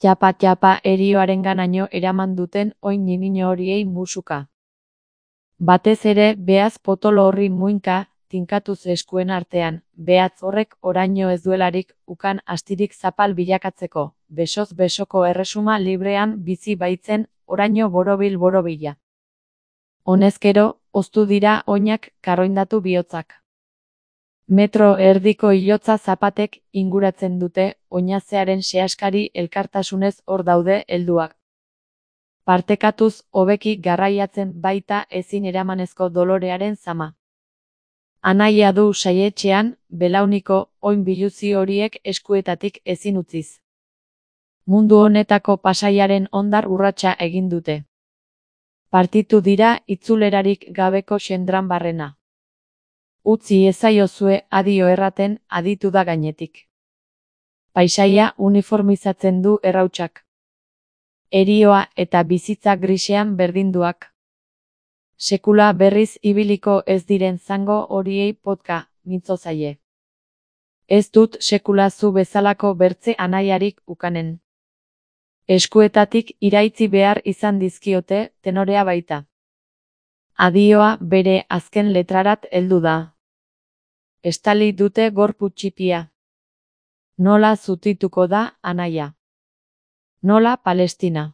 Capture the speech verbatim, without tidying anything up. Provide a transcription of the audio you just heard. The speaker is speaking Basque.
txapa-txapa erioarenganaino eraman duten oin niño horiei musuka. Batez ere beaz potolo horri muinka, tinkatuz eskuen artean, behatz horrek oraino ez duelarik ukan astirik zapal bilakatzeko, besoz besoko erresuma librean bizi baitzen, oraino borobil-borobila. Honezkero, hoztu dira oinak karroindatu bihotzak. Metro erdiko hilotza zapatek inguratzen dute, oinazearen sehaskari elkartasunez hor daude helduak. Partekatuz hobeki garraiatzen baita ezin eramanezko dolorearen zama. Anaia du saietxean, belauniko oin biluzi horiek eskuetatik ezin utziz. Mundu honetako pasaiaren hondar urratsa egin dute. Partitu dira itzulerarik gabeko xendran barrena. Utzi ezaiozue adio erraten aditu da gainetik. Paisaia uniformizatzen du errautsak. Erioa eta bizitza grisean berdinduak. Sekula berriz ibiliko ez diren zango horiei potka, mintzo zaie. Ez dut sekula zu bezalako bertze anaiarik ukanen. Eskuetatik iraitzi behar izan dizkiote, tenorea baita. Adioa bere azken letrarat heldu da. Estali dute gorpu txipia. Nola zutituko da anaia? Nola Palestina?